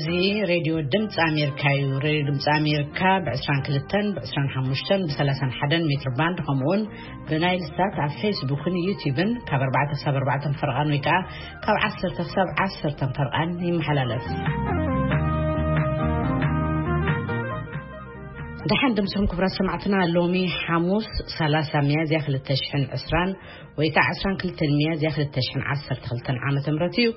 እዚ ሬድዮ ድምፂ ኣሜሪካ እዩ። ሬድዮ ድምፂ ኣሜሪካ ብ22፣ ብ25፣ ብ31 ሜትር ባንድ፣ ከምኡውን ብናይል ሳት ኣብ ፌስቡክን ዩቲዩብን ካብ ኣርባዕተ ክሳብ ኣርባዕተ ፈርቓን ወይ ከዓ ካብ ዓሰርተ ክሳብ ዓሰርተ ፈርቓን ይመሓላለፍ። ደሓን ድምፅኹም ክቡራት ሰማዕትና፣ ሎሚ ሓሙስ ሰላሳ ሚያዝያ ክልተ ሽሕን ዕስራን ወይ ከዓ ዕስራን ክልተን ሚያዝያ ክልተ ሽሕን ዓሰርተ ክልተን ዓመተ ምህረት እዩ።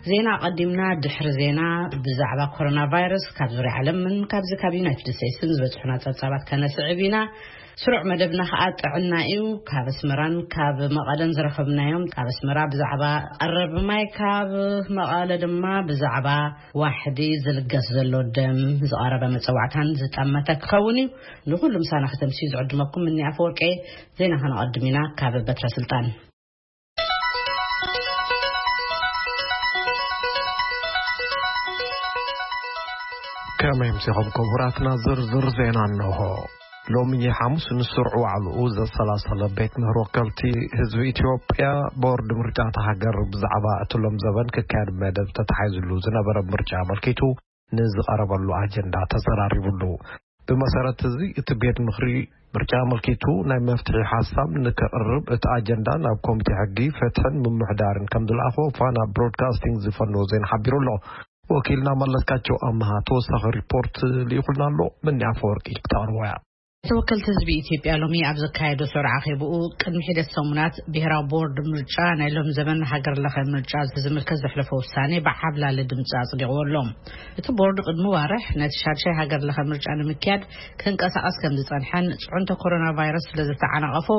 ዜና ኣቐዲምና፣ ድሕሪ ዜና ብዛዕባ ኮሮና ቫይረስ ካብ ዙርያ ዓለምን ካብዚ ካብ ዩናይትድ ስቴትስን ዝበፅሑና ፀብፃባት ከነስዕብ ኢና። ስሩዕ መደብና ከዓ ጥዕና እዩ። ካብ ኣስመራን ካብ መቐለን ዝረኸብናዮም፣ ካብ ኣስመራ ብዛዕባ ቀረብ ማይ፣ ካብ መቐለ ድማ ብዛዕባ ዋሕዲ ዝልገስ ዘሎ ደም ዝቐረበ መፀዋዕታን ዝጠመተ ክኸውን እዩ። ንኹሉ ምሳና ከተምስዩ ዝዕድመኩም እኒ ኣፈወርቄ። ዜና ከነቐድም ኢና ካብ በትረ ስልጣን። ከመይ ምሲኹም ክቡራትና፣ ዝርዝር ዜና እንሆ። ሎሚ ሓሙስ ንስሩዕ ዋዕልኡ ዘሰላሰለ ቤት ምህሮ ወከልቲ ህዝቢ ኢትዮጵያ፣ ቦርድ ምርጫ እታ ሃገር ብዛዕባ እቲ ሎም ዘበን ክካየድ መደብ ተታሒዝሉ ዝነበረ ምርጫ ኣመልኪቱ ንዝቐረበሉ ኣጀንዳ ተዘራሪቡሉ። ብመሰረት እዚ፣ እቲ ቤት ምኽሪ ምርጫ ኣመልኪቱ ናይ መፍትሒ ሓሳብ ንከቕርብ እቲ ኣጀንዳ ናብ ኮሚቴ ሕጊ፣ ፍትሕን ምምሕዳርን ከም ዝለኣኾ ፋና ብሮድካስቲንግ ዝፈነወ ዜና ሓቢሩ ኣሎ። ወኪልና መለስካቸው ኣምሃ ተወሳኺ ሪፖርት ልኢኹልና ኣሎ። መኒ ኣፈወርቂ ክተቕርቦ እያ። ተወከልቲ ህዝቢ ኢትዮጵያ ሎሚ ኣብ ዘካየዶ ስሩዕ ኣኼብኡ፣ ቅድሚ ሒደት ሰሙናት ብሄራዊ ቦርድ ምርጫ ናይ ሎም ዘመን ሃገር ለኸ ምርጫ ዝምልከት ዘሕለፎ ውሳኔ ብዓብላሊ ድምፂ ኣጽዲቕዎ ኣሎ። እቲ ቦርድ ቅድሚ ዋርሕ ነቲ ሻድሻይ ሃገር ለኸ ምርጫ ንምክያድ ክንቀሳቐስ ከም ዝጸንሐን፣ ጽዕንቶ ኮሮና ቫይረስ ስለ ዝተዓናቐፎ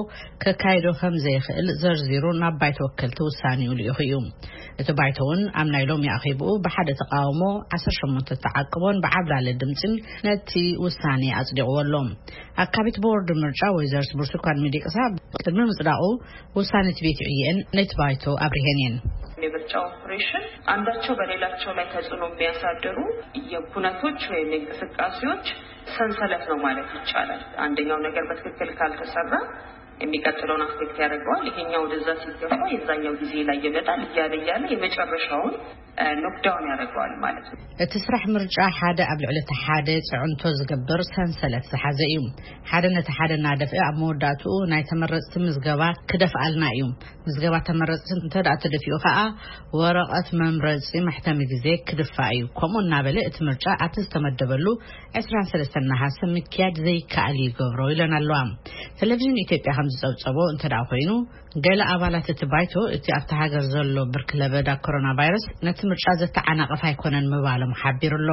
ከካይዶ ከም ዘይኽእል ዘርዚሩ ናብ ባይቶ ወከልቲ ውሳኔኡ ልኢኹ እዩ። እቲ ባይቶ እውን ኣብ ናይ ሎሚ ኣኼብኡ ብሓደ ተቃውሞ ዓሰርተ ሸሞንተ ተዓቅቦን ብዓብላሊ ድምፅን ነቲ ውሳኔ ኣጽዲቕዎ ኣሎ። ኣካቢት ቦርድ ምርጫ ወይዘሪት ብርቱካን ሚደቅሳ ቅድሚ ምጽዳቑ ውሳኔ እቲ ቤት ዕየን ነቲ ባይቶ ኣብሪሄን እየን። የምርጫ ኦፕሬሽን አንዳቸው በሌላቸው ላይ ተጽዕኖ የሚያሳድሩ የኩነቶች ወይም የእንቅስቃሴዎች ሰንሰለት ነው ማለት ይቻላል። አንደኛው ነገር በትክክል ካልተሰራ የሚቀጥለውን አፌክት ያደርገዋል። ይሄኛው ወደዛ ሲገፋ የዛኛው ጊዜ ላይ ይመጣል እያለ እያለ የመጨረሻውን ኖክዳውን ያደርገዋል ማለት ነው። እቲ ስራሕ ምርጫ ሓደ ኣብ ልዕሊ እቲ ሓደ ጽዕንቶ ዝገብር ሰንሰለት ዝሓዘ እዩ። ሓደ ነቲ ሓደ እናደፍአ ኣብ መወዳእትኡ ናይ ተመረጽቲ ምዝገባ ክደፍኣልና እዩ። ምዝገባ ተመረጽቲ እንተ ደኣ ተደፊኡ ከኣ፣ ወረቐት መምረጺ መሕተሚ ግዜ ክድፋእ እዩ። ከምኡ እናበለ እቲ ምርጫ ኣብቲ ዝተመደበሉ ዕስራን ሰለስተን ነሓሰ ምክያድ ዘይከኣል ይገብሮ ኢለን ኣለዋ። ቴሌቪዥን ኢትዮጵያ ከም ዝጸብጸቦ እንተ ደኣ ኮይኑ፣ ገለ ኣባላት እቲ ባይቶ፣ እቲ ኣብቲ ሃገር ዘሎ ብርኪ ለበዳ ኮሮና ቫይረስ ነቲ ምርጫ ዘተዓናቕፍ ኣይኮነን ምባሎም ሓቢሩ ኣሎ።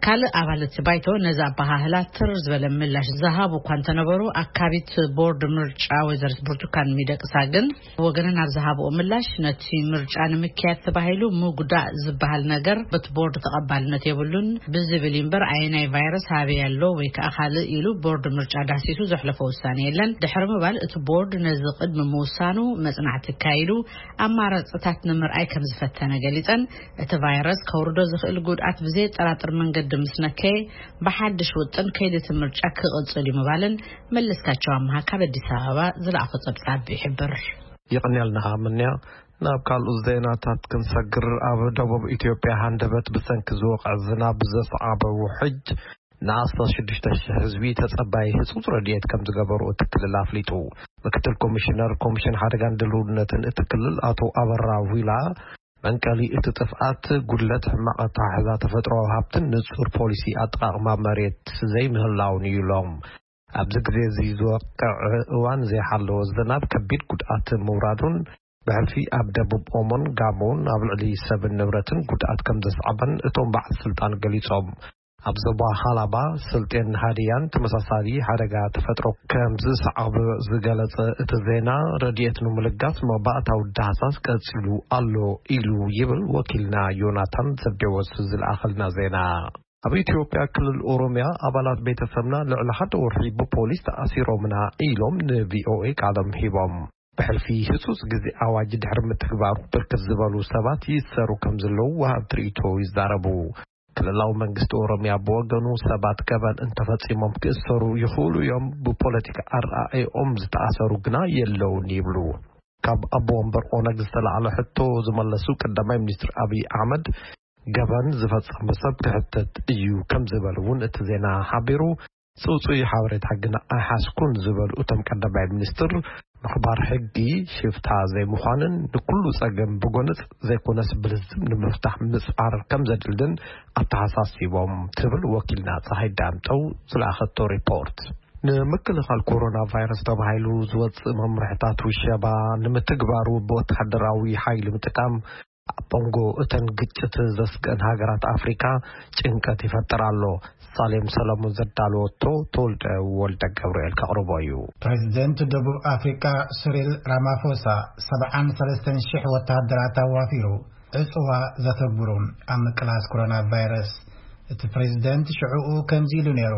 ካልእ ኣባል እቲ ባይቶ ነዚ ኣበሃህላ ትር ዝበለ ምላሽ ዝሃቡ እኳ እንተነበሩ፣ ኣካቢት ቦርድ ምርጫ ወይዘሪት ብርቱካን ሚደቅሳ ግን ወገነን ኣብ ዝሃብኦ ምላሽ፣ ነቲ ምርጫ ንምክያድ ተባሂሉ ምጉዳእ ዝበሃል ነገር በቲ ቦርድ ተቐባልነት የብሉን ብዝብል እዩ እምበር፣ ኣየናይ ቫይረስ ኣበይ ኣሎ ወይ ከዓ ካልእ ኢሉ ቦርድ ምርጫ ዳህሲሱ ዘሕለፎ ውሳኔ የለን ድሕሪ ምባል፣ እቲ ቦርድ ነዚ ቅድሚ ምውሳኑ መጽናዕቲ ኣካይዱ ኣማራጽታት ንምርኣይ ከም ዝፈተነ ገሊጸን፣ እቲ ቫይረስ ከውርዶ ዝኽእል ጉድኣት ብዘየጠራጥር መንገዲ ምስ ነከየ፣ ብሓድሽ ውጥን ከይዲ እቲ ምርጫ ክቕጽል እዩ ምባለን መለስካቸው ኣምሃ ካብ ኣዲስ ኣበባ ዝለኣኾ ጸብጻብ ይሕብር። የቐንያልና ምንያ። ናብ ካልኡ ዜናታት ክንሰግር፣ ኣብ ደቡብ ኢትዮጵያ ሃንደበት ብሰንኪ ዝወቕዐ ዝናብ ዘስዓበ ውሕጅ ንኣስታት ሽዱሽተ ሽሕ ህዝቢ ተጸባይ ህጹጽ ረድኤት ከም ዝገበሩ እቲ ክልል ኣፍሊጡ። ምክትል ኮሚሽነር ኮሚሽን ሓደጋን ድልውነትን እቲ ክልል ኣቶ ኣበራ ዊላ፣ መንቀሊ እቲ ጥፍኣት ጉድለት ሕማቕ ኣተሓሕዛ ተፈጥሮኣዊ ሃብትን ንጹር ፖሊሲ ኣጠቓቕማ መሬት ዘይምህላውን እዩ ኢሎም። ኣብዚ ግዜ እዚ ዝወቅዕ እዋን ዘይሓለወ ዝናብ ከቢድ ጉድኣት ምውራዱን ብሕልፊ ኣብ ደቡብ ኦሞን ጋሞን ኣብ ልዕሊ ሰብን ንብረትን ጉድኣት ከም ዘስዓበን እቶም በዓል ስልጣን ገሊጾም። ኣብ ዞባ ሃላባ፣ ስልጤን ሃዲያን ተመሳሳሊ ሓደጋ ተፈጥሮ ከም ዝሰዓበ ዝገለጸ እቲ ዜና፣ ረድኤት ንምልጋስ መባእታዊ ዳህሳስ ቀጺሉ ኣሎ ኢሉ ይብል ወኪልና ዮናታን ዘብዴዎስ ዝለኣኸልና ዜና። ኣብ ኢትዮጵያ ክልል ኦሮሚያ ኣባላት ቤተሰብና ልዕሊ ሓደ ወርሒ ብፖሊስ ተኣሲሮምና ኢሎም ንቪኦኤ ቃሎም ሂቦም። ብሕልፊ ህጹጽ ግዜ ኣዋጅ ድሕሪ ምትግባሩ ብርክት ዝበሉ ሰባት ይእሰሩ ከም ዘለዉ ወሃብቲ ርእይቶ ይዛረቡ። ክልላዊ መንግስቲ ኦሮሚያ ብወገኑ ሰባት ገበን እንተፈጺሞም ክእሰሩ ይኽእሉ እዮም፣ ብፖለቲካ ኣረኣእያኦም ዝተኣሰሩ ግና የለውን ይብሉ። ካብ ኣቦ ወንበር ኦነግ ዝተላዕለ ሕቶ ዝመለሱ ቀዳማይ ሚኒስትር ኣብይ ኣሕመድ ገበን ዝፈጸመ ሰብ ክሕተት እዩ ከም ዝበሉ እውን እቲ ዜና ሓቢሩ። ጽውጽይ ሓበሬታ ግን ኣይሓዝኩን ዝበሉ እቶም ቀዳማይ ሚኒስትር፣ ምኽባር ሕጊ ሽፍታ ዘይምዃንን ንኩሉ ጸገም ብጎነጽ ዘይኮነስ ብልዝብ ንምፍታሕ ምጽዓር ከም ዘድልድን ኣተሓሳሲቦም ትብል ወኪልና ፀሃይ ዳምጠው ዝለኣኸቶ ሪፖርት። ንምክልኻል ኮሮና ቫይረስ ተባሂሉ ዝወፅእ መምርሕታት ውሸባ ንምትግባሩ ብወታደራዊ ሓይሊ ምጥቃም ኣብ መንጎ እተን ግጭት ዘስግአን ሃገራት ኣፍሪካ ጭንቀት ይፈጥር ኣሎ። ሳሌም ሰለሙን ዘዳለወቶ ተወልደ ወልደ ገብርኤል ከቕርቦ እዩ። ፕሬዚደንት ደቡብ ኣፍሪካ ስሪል ራማፎሳ ሰብዓን ሰለስተን ሽሕ ወተሃደራት ኣዋፊሩ ዕፅዋ ዘተግብሩ ኣብ ምቅላስ ኮሮና ቫይረስ። እቲ ፕሬዚደንት ሽዕኡ ከምዚ ኢሉ ነይሩ፣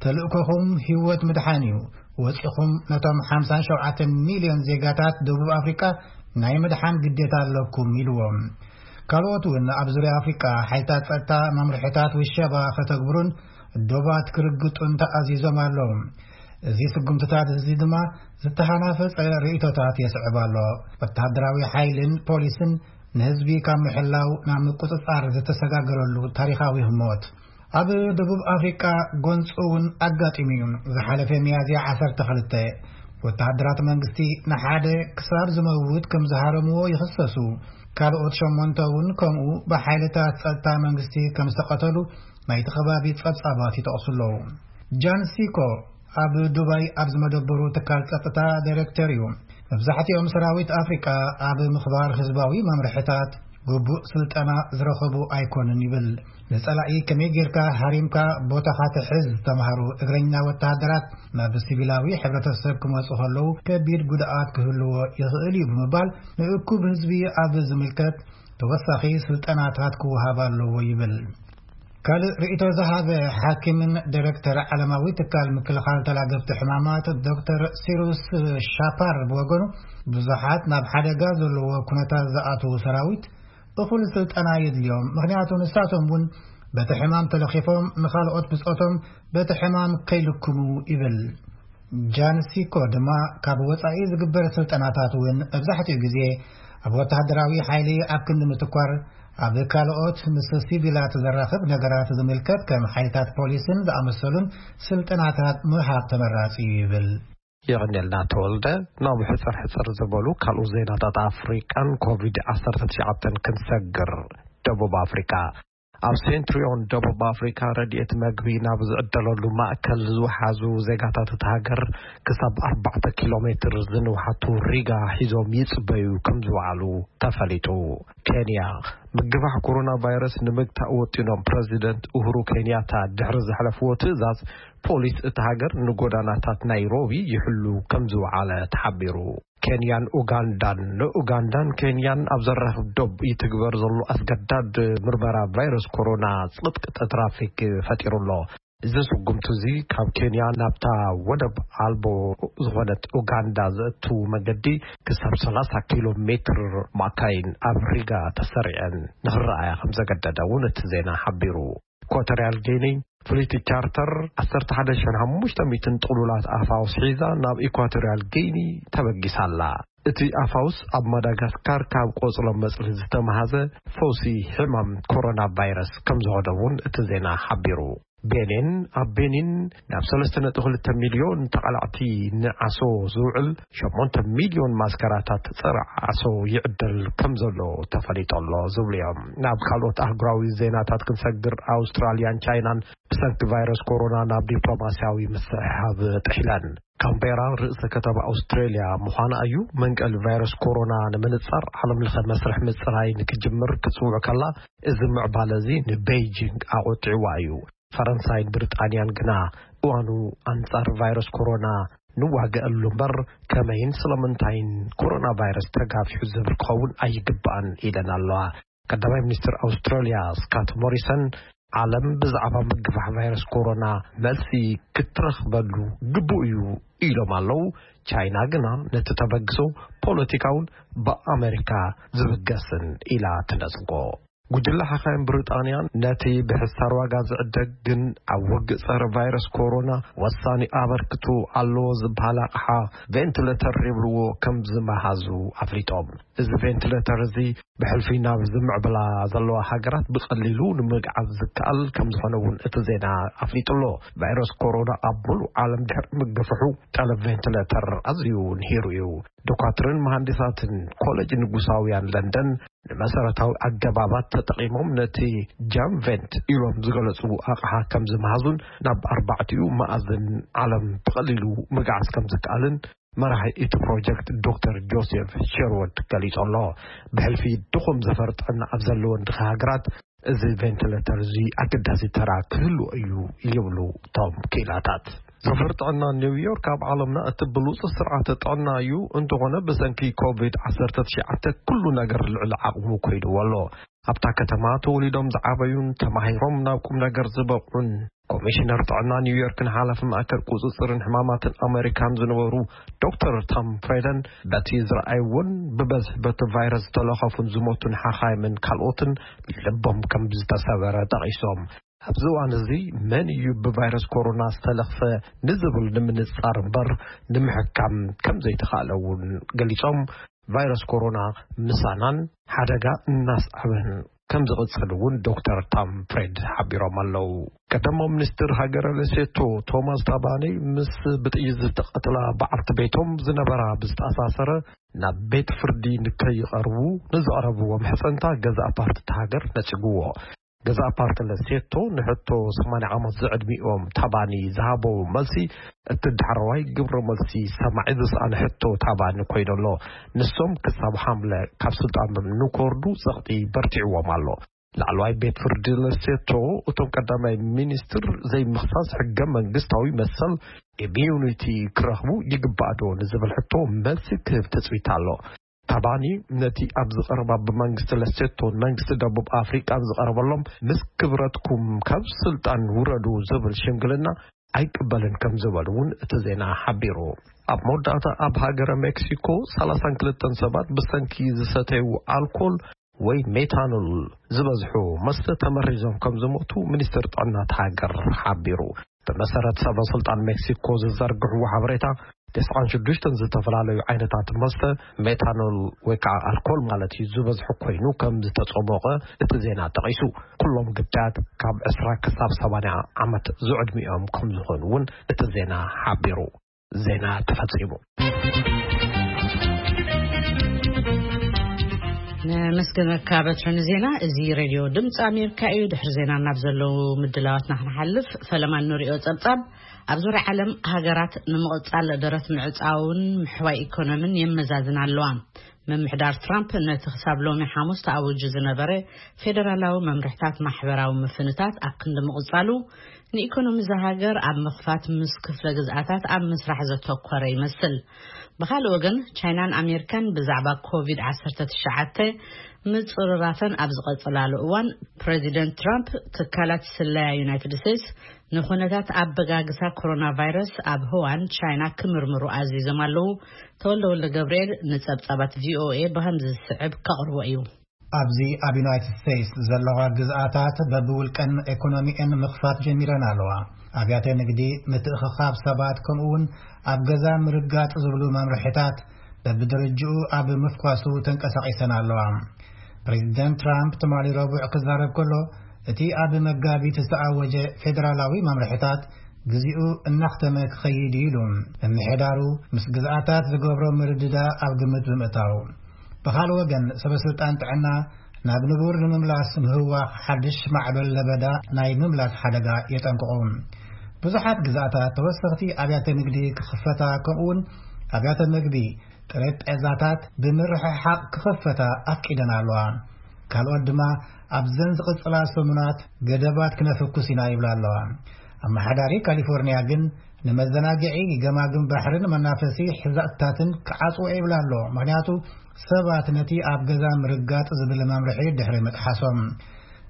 ተልእኮኹም ህይወት ምድሓን እዩ። ወፂኹም ነቶም ሓምሳን ሸውዓተን ሚልዮን ዜጋታት ደቡብ ኣፍሪካ ናይ ምድሓን ግዴታ ኣለኩም ኢልዎም። ካልኦት እውን ኣብ ዙርያ ኣፍሪካ ሓይልታት ፀጥታ መምርሕታት ውሸባ ከተግብሩን ዶባት ክርግጡን ተኣዚዞም ኣለዉ። እዚ ስጉምትታት እዚ ድማ ዝተሃናፈፀ ርእይቶታት የስዕብ ኣሎ። ወተሃደራዊ ሓይልን ፖሊስን ንህዝቢ ካብ ምሕላው ናብ ምቁፅፃር ዝተሰጋገረሉ ታሪኻዊ ህሞት። ኣብ ደቡብ ኣፍሪቃ ጎንፂ እውን ኣጋጢሙ እዩ። ዝሓለፈ ሚያዝያ ዓሰርተ ክልተ ወተሃደራት መንግስቲ ንሓደ ክሳብ ዝመውት ከም ዝሃረምዎ ይኽሰሱ። ካልኦት ሸሞንተ እውን ከምኡ ብሓይልታት ጸጥታ መንግስቲ ከም ዝተቐተሉ ናይቲ ከባቢ ጸብጻባት ይጠቕሱ ኣለዉ። ጃን ሲኮ ኣብ ዱባይ ኣብ ዝመደበሩ ትካል ጸጥታ ዳይሬክተር እዩ። መብዛሕትኦም ሰራዊት ኣፍሪቃ ኣብ ምኽባር ህዝባዊ መምርሕታት ግቡእ ስልጠና ዝረኸቡ ኣይኮኑን ይብል። ንጸላኢ ከመይ ጌርካ ሃሪምካ ቦታኻ ትሕዝ ዝተምሃሩ እግረኛ ወተሃደራት ናብ ሲቪላዊ ሕብረተሰብ ክመጹ ከለዉ ከቢድ ጉድኣት ክህልዎ ይኽእል እዩ ብምባል ንእኩብ ህዝቢ ኣብ ዝምልከት ተወሳኺ ስልጠናታት ክወሃብ ኣለዎ ይብል። ካልእ ርእይቶ ዝሃበ ሓኪምን ዳይሬክተር ዓለማዊ ትካል ምክልኻል ተላገብቲ ሕማማት ዶክተር ሲሩስ ሻፓር ብወገኑ ብዙሓት ናብ ሓደጋ ዘለዎ ኩነታት ዝኣትዉ ሰራዊት እኹል ስልጠና የድልዮም፣ ምኽንያቱ ንሳቶም እውን በቲ ሕማም ተለኺፎም ንኻልኦት ብጾቶም በቲ ሕማም ከይልክሙ ይብል። ጃን ሲኮ ድማ ካብ ወጻኢ ዝግበር ስልጠናታት እውን መብዛሕትኡ ግዜ ኣብ ወተሃደራዊ ሓይሊ ኣብ ክንዲ ምትኳር ኣብ ካልኦት ምስ ሲቪላት ዘራኽብ ነገራት ዝምልከት ከም ሓይልታት ፖሊስን ዝኣመሰሉን ስልጠናታት ምሃብ ተመራጺ እዩ ይብል። የቐንየልና ተወልደ። ናብ ሕጽር ሕጽር ዝበሉ ካልኦት ዜናታት ኣፍሪቃን ኮቪድ ዓሰርተ ትሽዓተ ክንሰግር። ደቡብ ኣፍሪቃ። ኣብ ሴንትሪዮን ደቡብ ኣፍሪካ ረድኤት መግቢ ናብ ዝዕደለሉ ማእከል ዝወሓዙ ዜጋታት እቲ ሃገር ክሳብ ኣርባዕተ ኪሎ ሜትር ዝንውሓቱ ሪጋ ሒዞም ይጽበዩ ከም ዝወዓሉ ተፈሊጡ። ኬንያ። ምግፋሕ ኮሮና ቫይረስ ንምግታእ ወጢኖም ፕረዚደንት ኡሁሩ ኬንያታ ድሕሪ ዘሕለፍዎ ትእዛዝ ፖሊስ እቲ ሃገር ንጎዳናታት ናይሮቢ ይሕሉ ከም ዝወዓለ ተሓቢሩ። ኬንያን ኡጋንዳን። ንኡጋንዳን ኬንያን ኣብ ዘራኽብ ዶብ ይትግበር ዘሎ ኣስገዳድ ምርመራ ቫይረስ ኮሮና ጽቕጥቅጠ ትራፊክ ፈጢሩ ኣሎ። እዚ ስጉምቲ እዚ ካብ ኬንያ ናብታ ወደብ ኣልቦ ዝኾነት ኡጋንዳ ዘእቱ መገዲ ክሳብ ሰላሳ ኪሎ ሜትር ማካይን ኣብ ሪጋ ተሰሪዐን ንኽረኣያ ከም ዘገደደ እውን እቲ ዜና ሓቢሩ። ኢኳቶሪያል ጊኒ ፍልይቲ ቻርተር ዓሰርተ ሓደ ሽሕን ሓሙሽተ ሚእትን ጥሉላት ኣፋውስ ሒዛ ናብ ኢኳቶሪያል ጊኒ ተበጊሳ ኣላ። እቲ ኣፋውስ ኣብ ማዳጋስካር ካብ ቆጽሎ መጽሊ ዝተመሃዘ ፈውሲ ሕማም ኮሮና ቫይረስ ከም ዝኾነ እውን እቲ ዜና ሓቢሩ። ቤኒን። ኣብ ቤኒን ናብ ሰለስተ ነጥቢ ክልተ ሚልዮን ተቓላዕቲ ንዓሶ ዝውዕል ሸሞንተ ሚልዮን ማስከራታት ጸረ ዓሶ ይዕደል ከም ዘሎ ተፈሊጡ ኣሎ ዝብሉ እዮም። ናብ ካልኦት ኣህጉራዊ ዜናታት ክንሰግር፣ ኣውስትራልያን ቻይናን ብሰንኪ ቫይረስ ኮሮና ናብ ዲፕሎማስያዊ ምስሕሓብ ጥሒለን። ካምቤራ ርእሰ ከተማ ኣውስትራልያ ምዃና እዩ። መንቀሊ ቫይረስ ኮሮና ንምንጻር ዓለም ለኸ መስርሕ ምጽራይ ንክጅምር ክትጽውዕ ከላ፣ እዚ ምዕባለ እዚ ንቤይጂንግ ኣቖጢዕዋ እዩ። ፈረንሳይን ብሪጣንያን ግና እዋኑ ኣንጻር ቫይረስ ኮሮና ንዋገኣሉ እምበር ከመይን ስለምንታይን ኮሮና ቫይረስ ተጋፊሑ ዝብል ክኸውን ኣይግባእን ኢለን ኣለዋ። ቀዳማይ ሚኒስትር ኣውስትራልያ ስካት ሞሪሰን ዓለም ብዛዕባ ምግፋሕ ቫይረስ ኮሮና መልሲ ክትረኽበሉ ግቡእ እዩ ኢሎም ኣለዉ። ቻይና ግና ነቲ ተበግሶ ፖለቲካውን ብኣመሪካ ዝብገስን ኢላ ትነጽጎ። ጉጅለ ሓኻይም ብሪጣንያን ነቲ ብሕሳር ዋጋ ዝዕደግ ግን ኣብ ውግእ ጸረ ቫይረስ ኮሮና ወሳኒ ኣበርክቶ ኣለዎ ዝበሃል ኣቕሓ ቬንቲሌተር ይብልዎ ከም ዝመሃዙ ኣፍሊጦም። እዚ ቬንቲሌተር እዚ ብሕልፊ ናብ ዝምዕብላ ዘለዋ ሃገራት ብቐሊሉ ንምግዓዝ ዝከኣል ከም ዝኾነ እውን እቲ ዜና ኣፍሊጡ ኣሎ። ቫይረስ ኮሮና ኣብ ሙሉእ ዓለም ድሕሪ ምግፍሑ ጠለብ ቬንቲሌተር ኣዝዩ ንሂሩ እዩ። ዶኳትርን መሃንዲሳትን ኮሌጅ ንጉሳውያን ለንደን ንመሰረታዊ ኣገባባት ተጠቒሞም ነቲ ጃምቬንት ኢሎም ዝገለጹ ኣቕሓ ከም ዝመሃዙን ናብ ኣርባዕቲኡ መኣዝን ዓለም ብቐሊሉ ምግዓዝ ከም ዝከኣልን መራሒ እቲ ፕሮጀክት ዶክተር ጆሴፍ ሸርወድ ገሊጹ ኣሎ። ብሕልፊ ድኹም ዘፈር ጥዕና ኣብ ዘለወን ድኻ ሃገራት እዚ ቬንቲሌተር እዚ ኣገዳሲ ተራ ክህልዎ እዩ ይብሉ እቶም ክኢላታት። ዘፈር ጥዕና ኒውዮርክ ኣብ ዓለምና እቲ ብሉጽ ስርዓተ ጥዕና እዩ። እንተኾነ ብሰንኪ ኮቪድ ዓሰርተ ትሽዓተ ኩሉ ነገር ልዕሊ ዓቕሙ ኮይድዎ ኣሎ። ኣብታ ከተማ ተወሊዶም ዝዓበዩን ተማሂሮም ናብ ቁም ነገር ዝበቕዑን ኮሚሽነር ጥዕና ኒውዮርክን ሓላፊ ማእከል ቁጽጽርን ሕማማትን ኣሜሪካን ዝነበሩ ዶክተር ታም ፍሬደን በቲ ዝረኣይዎን ብበዝሒ በቲ ቫይረስ ዝተለኸፉን ዝሞቱን ሓኻይምን ካልኦትን ልቦም ከም ዝተሰበረ ጠቒሶም። ኣብዚ እዋን እዚ መን እዩ ብቫይረስ ኮሮና ዝተለኽፈ ንዝብል ንምንጻር እምበር ንምሕካም ከም ዘይተኻእለ እውን ገሊጾም። ቫይረስ ኮሮና ምሳናን ሓደጋ እናስዓበን ከም ዝቕጽል እውን ዶክተር ታም ፍሬድ ሓቢሮም ኣለዉ። ቀዳማዊ ሚኒስትር ሃገረ ሌሴቶ ቶማስ ታባኒ ምስ ብጥይት ዝተቐትላ በዓልቲ ቤቶም ዝነበራ ብዝተኣሳሰረ ናብ ቤት ፍርዲ ንከይቐርቡ ንዘቕረብዎ ምሕጸንታ ገዛእ ፓርቲ እታ ሃገር ነጺግዎ። ገዛእ ፓርቲ ለሴቶ ንሕቶ ሰማንያ ዓመት ዝዕድሚኦም ታባኒ ዝሃቦ መልሲ እቲ ዳሕረዋይ ግብረ መልሲ ሰማዒ ዝሰኣነ ሕቶ ታባኒ ኮይኑ ኣሎ። ንሶም ክሳብ ሓምለ ካብ ስልጣኖም ንኮርዱ ጸቕጢ በርቲዕዎም ኣሎ። ላዕለዋይ ቤት ፍርዲ ለሴቶ እቶም ቀዳማይ ሚኒስትር ዘይምኽሳስ ሕገ መንግስታዊ መሰል ኢሚዩኒቲ ክረኽቡ ይግባእ ዶ ንዝብል ሕቶ መልሲ ክህብ ትጽቢት ኣሎ። ታባኒ ነቲ ኣብ ዝቐረባ ብመንግስቲ ለሴቶን መንግስቲ ደቡብ ኣፍሪቃን ዝቐረበሎም ምስ ክብረትኩም ካብ ስልጣን ውረዱ ዝብል ሽምግልና ኣይቅበልን ከም ዝበሉ እውን እቲ ዜና ሓቢሩ። ኣብ መወዳእታ ኣብ ሃገረ ሜክሲኮ ሰላሳን ክልተን ሰባት ብሰንኪ ዝሰተዩ ኣልኮል ወይ ሜታኖል ዝበዝሑ መስተ ተመሪዞም ከም ዝሞቱ ሚኒስትር ጥዕና እታ ሃገር ሓቢሩ። ብመሰረት ሰበ ስልጣን ሜክሲኮ ዝዘርግሕዎ ሓበሬታ፣ ተስዓን ሽዱሽተን ዝተፈላለዩ ዓይነታት መስተ ሜታኖል ወይ ከዓ ኣልኮል ማለት እዩ ዝበዝሑ ኮይኑ ከም ዝተፀሞቐ እቲ ዜና ጠቒሱ። ኩሎም ግዳያት ካብ ዕስራ ክሳብ ሰማንያ ዓመት ዝዕድሚኦም ከም ዝኾኑ እውን እቲ ዜና ሓቢሩ። ዜና ተፈጺሙ። ነመስግነካ በትሪ ንዜና። እዚ ሬድዮ ድምፂ ኣሜሪካ እዩ። ድሕሪ ዜና ናብ ዘለዉ ምድላዋትና ክንሓልፍ፣ ፈለማ እንሪኦ ጸብጻብ፣ ኣብ ዙርያ ዓለም ሃገራት ንምቕጻል ደረት ምዕጻውን ምሕዋይ ኢኮኖሚን የመዛዝን ኣለዋ። ምምሕዳር ትራምፕ ነቲ ክሳብ ሎሚ ሓሙስ ተኣዊጁ ዝነበረ ፌደራላዊ መምርሕታት ማሕበራዊ ምፍንታት ኣብ ክንዲ ምቕጻሉ፣ ንኢኮኖሚ እዛ ሃገር ኣብ ምኽፋት ምስ ክፍለ ግዝኣታት ኣብ ምስራሕ ዘተኮረ ይመስል። ብኻልእ ወገን፣ ቻይናን ኣሜሪካን ብዛዕባ ኮቪድ ዓሰርተ ትሽዓተ ምጽርራፈን ኣብ ዝቐጸላሉ እዋን፣ ፕሬዚደንት ትራምፕ ትካላት ስለያ ዩናይትድ ስቴትስ ንኹነታት ኣበጋግሳ ኮሮና ቫይረስ ኣብ ህዋን ቻይና ክምርምሩ ኣዚዞም ኣለዉ። ተወልደ ወልደ ገብርኤል ንጸብጻባት ቪኦኤ ብኸምዚ ዝስዕብ ከቕርቦ እዩ። ኣብዚ ኣብ ዩናይትድ ስቴትስ ዘለዋ ግዝኣታት በብውልቀን ኤኮኖሚኤን ምኽፋት ጀሚረን ኣለዋ። ኣብያተ ንግዲ፣ ምትእኽኻብ ሰባት፣ ከምኡ እውን ኣብ ገዛ ምርጋጥ ዝብሉ መምርሒታት በብደረጅኡ ኣብ ምፍኳሱ ተንቀሳቒሰን ኣለዋ። ፕሬዚደንት ትራምፕ ትማሊ ረቡዕ ክዛረብ ከሎ፣ እቲ ኣብ መጋቢት ዝተኣወጀ ፌደራላዊ መምርሒታት ግዜኡ እናኽተመ ክኸይድ እዩ ኢሉ። ምምሕዳሩ ምስ ግዝኣታት ዝገብሮ ምርድዳ ኣብ ግምት ብምእታው፣ ብኻልእ ወገን ሰበ ስልጣን ጥዕና ናብ ንቡር ንምምላስ ምህዋኽ ሓድሽ ማዕበል ለበዳ ናይ ምምላስ ሓደጋ የጠንቅቑ። ብዙሓት ግዝኣታት ተወሰኽቲ ኣብያተ ንግዲ ክኽፈታ፣ ከምኡውን ኣብያተ ምግቢ፣ ጠረጴዛታት ብምርሕሓቕ ክኽፈታ ኣፍቂደን ኣለዋ። ካልኦት ድማ ኣብዘን ዝቕጽላ ሰሙናት ገደባት ክነፍኩስ ኢና ይብላ ኣለዋ። ኣመሓዳሪ ካሊፎርኒያ ግን ንመዘናግዒ፣ ገማግም ባሕርን መናፈሲ ሕዛእትታትን ክዓጽዎ ይብላ ኣሎ። ምኽንያቱ ሰባት ነቲ ኣብ ገዛ ምርጋጥ ዝብል መምርሒ ድሕሪ ምጥሓሶም።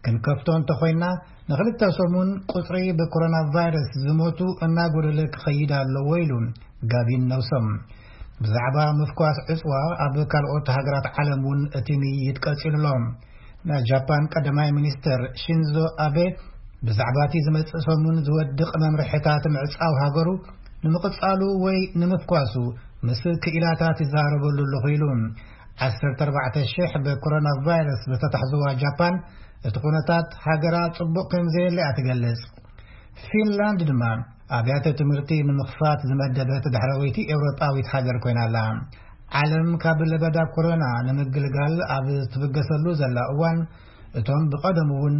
ክንከፍቶ እንተኾይና ንኽልተ ሰሙን ቁጽሪ ብኮሮና ቫይረስ ዝሞቱ እናጎደለ ክኸይድ ኣለዎ ኢሉ ጋቪን ነውሶም። ብዛዕባ ምፍኳስ ዕጽዋ ኣብ ካልኦት ሃገራት ዓለም እውን እቲ ምይይጥ ቀጺሉ ኣሎ። ናይ ጃፓን ቀዳማይ ሚኒስተር ሺንዞ ኣቤ ብዛዕባ እቲ ዝመጽእ ሰሙን ዝወድቕ መምርሕታት ምዕጻው ሃገሩ ንምቕጻሉ ወይ ንምፍኳሱ ምስ ክኢላታት ይዛረበሉ ኣለኹ ኢሉ። ዓሰርተ ኣርባዕተ ሽሕ ብኮሮና ቫይረስ ዝተታሕዝዋ ጃፓን እቲ ኩነታት ሃገራ ጽቡቕ ከም ዘየለያ ትገልጽ። ፊንላንድ ድማ ኣብያተ ትምህርቲ ንምኽፋት ዝመደበት ዳሕረወይቲ ኤውሮጳዊት ሃገር ኮይና ኣላ። ዓለም ካብ ለበዳ ኮሮና ንምግልጋል ኣብ ትብገሰሉ ዘላ እዋን፣ እቶም ብቐደሙ እውን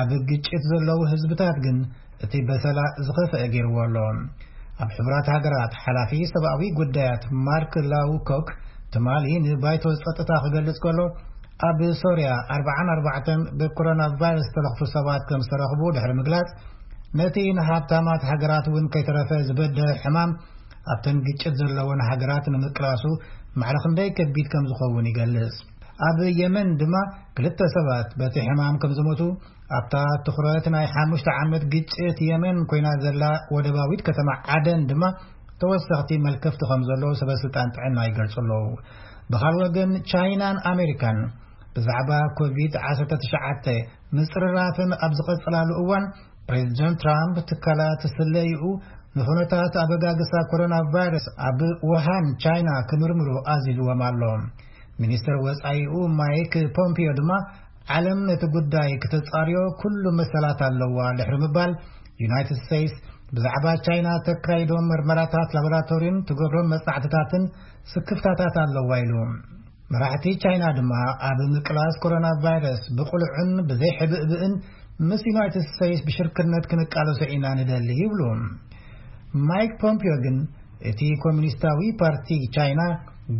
ኣብ ግጭት ዘለዉ ህዝብታት ግን እቲ በሰላ ዝኸፍአ ገይርዎ ኣሎ። ኣብ ሕቡራት ሃገራት ሓላፊ ሰብኣዊ ጉዳያት ማርክ ላውኮክ ትማሊ ንባይቶ ጸጥታ ክገልጽ ከሎ፣ ኣብ ሶርያ ኣርባዓን ኣርባዕተን ብኮሮና ቫይረስ ዝተለኽፉ ሰባት ከም ዝተረኽቡ ድሕሪ ምግላጽ፣ ነቲ ንሃብታማት ሃገራት እውን ከይተረፈ ዝበደ ሕማም ኣብተን ግጭት ዘለወን ሃገራት ንምቅላሱ ማዕረ ክንደይ ከቢድ ከም ዝኸውን ይገልጽ። ኣብ የመን ድማ ክልተ ሰባት በቲ ሕማም ከም ዝሞቱ፣ ኣብታ ትኹረት ናይ ሓሙሽተ ዓመት ግጭት የመን ኮይና ዘላ ወደባዊት ከተማ ዓደን ድማ ተወሰኽቲ መልከፍቲ ከም ዘለዉ ሰበ ስልጣን ጥዕና ይገልጹ ኣለዉ። ብኻልእ ወገን ቻይናን ኣሜሪካን ብዛዕባ ኮቪድ ዓሰርተ ትሽዓተ ምጽርራፈን ኣብ ዝቐጽላሉ እዋን፣ ፕሬዚደንት ትራምፕ ትካላት ስለይኡ ንኹነታት ኣበጋግሳ ኮሮና ቫይረስ ኣብ ውሃን ቻይና ክምርምሩ ኣዚዝዎም ኣሎ። ሚኒስትር ወጻኢኡ ማይክ ፖምፒዮ ድማ ዓለም ነቲ ጉዳይ ክተጻርዮ ኩሉ መሰላት ኣለዋ ድሕሪ ምባል፣ ዩናይትድ ስቴትስ ብዛዕባ ቻይና ተካይዶ ምርመራታት ላቦራቶሪን ትገብሮም መጽናዕትታትን ስክፍታታት ኣለዋ ኢሉ። መራሕቲ ቻይና ድማ ኣብ ምቅላስ ኮሮና ቫይረስ ብቕሉዕን ብዘይሕብእብእን ምስ ዩናይትድ ስቴትስ ብሽርክነት ክንቃለሶ ኢና ንደሊ ይብሉ። ማይክ ፖምፒዮ ግን እቲ ኮሚኒስታዊ ፓርቲ ቻይና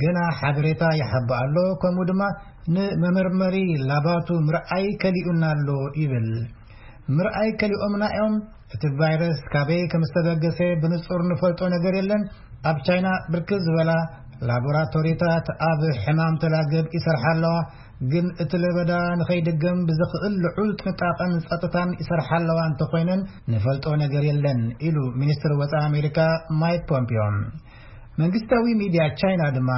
ገና ሓበሬታ ይሓብእ ኣሎ፣ ከምኡ ድማ ንመመርመሪ ላባቱ ምርኣይ ከሊኡና ኣሎ ይብል። ምርኣይ ከሊኦምና እዮም። እቲ ቫይረስ ካበይ ከም ዝተበገሰ ብንጹር ንፈልጦ ነገር የለን። ኣብ ቻይና ብርክት ዝበላ ላቦራቶሪታት ኣብ ሕማም ተላገብ ይሰርሓ ኣለዋ፣ ግን እቲ ለበዳ ንኸይድገም ብዝኽእል ልዑል ጥንቃቐን ጸጥታን ይሰርሓ ኣለዋ እንተኾይነን ንፈልጦ ነገር የለን ኢሉ ሚኒስትር ወጻኢ ኣሜሪካ ማይክ ፖምፒዮ። መንግስታዊ ሚድያ ቻይና ድማ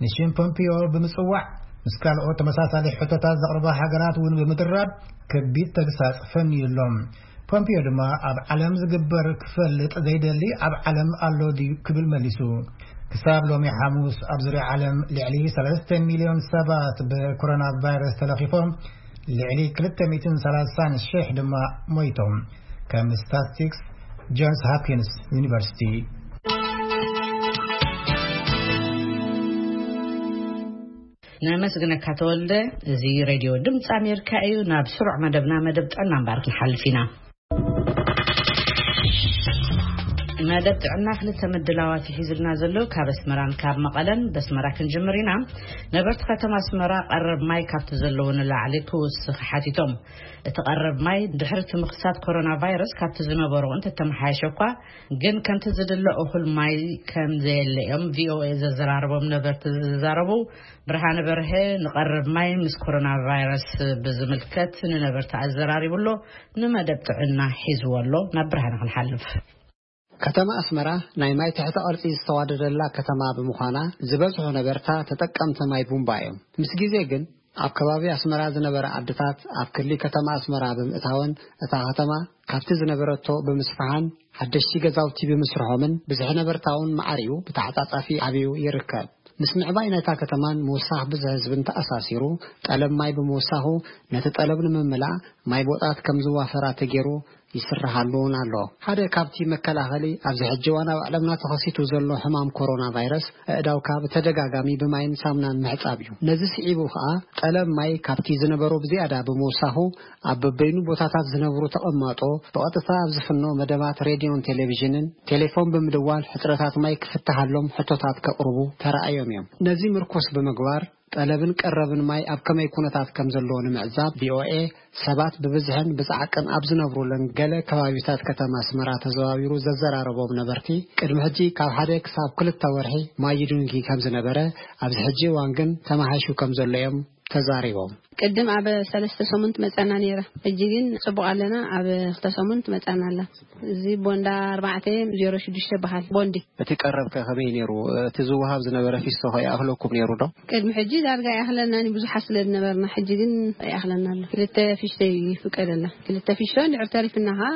ንሽም ፖምፒዮ ብምጽዋዕ ምስ ካልኦት ተመሳሳሊ ሕቶታት ዘቕርባ ሃገራት እውን ብምድራብ ከቢድ ተግሳጽ ፈንዩ ኣሎ። ፖምፒዮ ድማ ኣብ ዓለም ዝግበር ክፈልጥ ዘይደሊ ኣብ ዓለም ኣሎ ድዩ ክብል መሊሱ። ክሳብ ሎሚ ሓሙስ ኣብ ዙርያ ዓለም ልዕሊ ሰለስተ ሚልዮን ሰባት ብኮሮና ቫይረስ ተለኺፎም፣ ልዕሊ ክልተ ሚእትን ሰላሳን ሽሕ ድማ ሞይቶም። ከም ስታትስቲክስ ጆንስ ሆፕኪንስ ዩኒቨርሲቲ። ነመስግነካ ተወልደ። እዚ ሬድዮ ድምፂ ኣሜሪካ እዩ። ናብ ስሩዕ መደብና፣ መደብ ጥዕና እምበር ክንሓልፍ ኢና። መደብ ጥዕና ክልተ ምድላዋት ይሒዝልና ዘሎ። ካብ ኣስመራን ካብ መቐለን። በስመራ ክንጅምር ኢና። ነበርቲ ከተማ ኣስመራ ቀረብ ማይ ካብቲ ዘለዎ ንላዕሊ ክውስኽ ሓቲቶም። እቲ ቀረብ ማይ ድሕሪ እቲ ምኽሳት ኮሮና ቫይረስ ካብቲ ዝነበሮ እንተተመሓየሸ እኳ፣ ግን ከምቲ ዝድለ እኹል ማይ ከም ዘየለ እዮም ቪኦኤ ዘዘራረቦም ነበርቲ ዝዛረቡ። ብርሃነ በርሀ ንቐረብ ማይ ምስ ኮሮና ቫይረስ ብዝምልከት ንነበርቲ ኣዘራሪቡ ኣሎ። ንመደብ ጥዕና ሒዝዎ ኣሎ። ናብ ብርሃነ ክንሓልፍ። ከተማ ኣስመራ ናይ ማይ ትሕተ ቅርጺ ዝተዋደደላ ከተማ ብምዃና፣ ዝበዝሑ ነበርታ ተጠቀምቲ ማይ ቡምባ እዮም። ምስ ግዜ ግን ኣብ ከባቢ ኣስመራ ዝነበረ ዓድታት ኣብ ክሊ ከተማ ኣስመራ ብምእታወን፣ እታ ከተማ ካብቲ ዝነበረቶ ብምስፍሓን ሓደሽቲ ገዛውቲ ብምስርሖምን፣ ብዝሒ ነበርታ እውን ማዕሪኡ ብተዓጻጻፊ ዓብዩ ይርከብ። ምስ ምዕባይ ናይታ ከተማን ምውሳኽ ብዝሒ ህዝብን ተኣሳሲሩ፣ ጠለብ ማይ ብምውሳኹ፣ ነቲ ጠለብ ንምምላእ ማይ ቦጣት ከም ዝዋፈራ ተገይሩ ይስርሓሉ እውን ኣሎ። ሓደ ካብቲ መከላኸሊ ኣብዚ ሕጂ እዋን ኣብ ዓለምና ተኸሲቱ ዘሎ ሕማም ኮሮና ቫይረስ፣ ኣእዳውካ ብተደጋጋሚ ብማይን ሳሙናን ምሕጻብ እዩ። ነዚ ስዒቡ ከኣ፣ ጠለብ ማይ ካብቲ ዝነበሮ ብዝያዳ ብምውሳኹ፣ ኣብ በበይኑ ቦታታት ዝነብሩ ተቐማጦ ብቐጥታ ኣብ ዝፍኖ መደባት ሬድዮን ቴሌቪዥንን ቴሌፎን ብምድዋል ሕጽረታት ማይ ክፍትሃሎም ሕቶታት ከቕርቡ ተራእዮም እዮም። ነዚ ምርኩስ ብምግባር፣ ጠለብን ቀረብን ማይ ኣብ ከመይ ኩነታት ከም ዘለዎ ንምዕዛብ፣ ቪኦኤ ሰባት ብብዝሕን ብጻዕቅን ኣብ ዝነብሩለን ገለ ከባቢታት ከተማ ኣስመራ ተዘዋዊሩ ዘዘራረቦም ነበርቲ፣ ቅድሚ ሕጂ ካብ ሓደ ክሳብ ክልተ ወርሒ ማይ ይድንጊ ከም ዝነበረ፣ ኣብዚ ሕጂ እዋን ግን ተማሓይሹ ከም ዘሎ እዮም ተዛሪቦም። ቅድም ኣብ ሰለስተ ሰሙን ትመጸና ነይራ። ሕጂ ግን ጽቡቕ ኣለና። ኣብ ክልተ ሰሙን ትመጸና ኣላ። እዚ ቦንዳ ኣርባዕተ ዜሮ ሽዱሽተ በሃል ቦንዲ። እቲ ቀረብ ከ ከመይ ነይሩ? እቲ ዝወሃብ ዝነበረ ፊስቶ ከ ይኣኽለኩም ነይሩ ዶ? ቅድሚ ሕጂ ዳርጋ ይኣኽለና፣ ብዙሓት ስለ ዝነበርና። ሕጂ ግን ይኣኽለና ኣሎ። ክልተ ፊስቶ ይፍቀደልና። ክልተ ፊስቶ እንድሕር ተሪፍና ኸዓ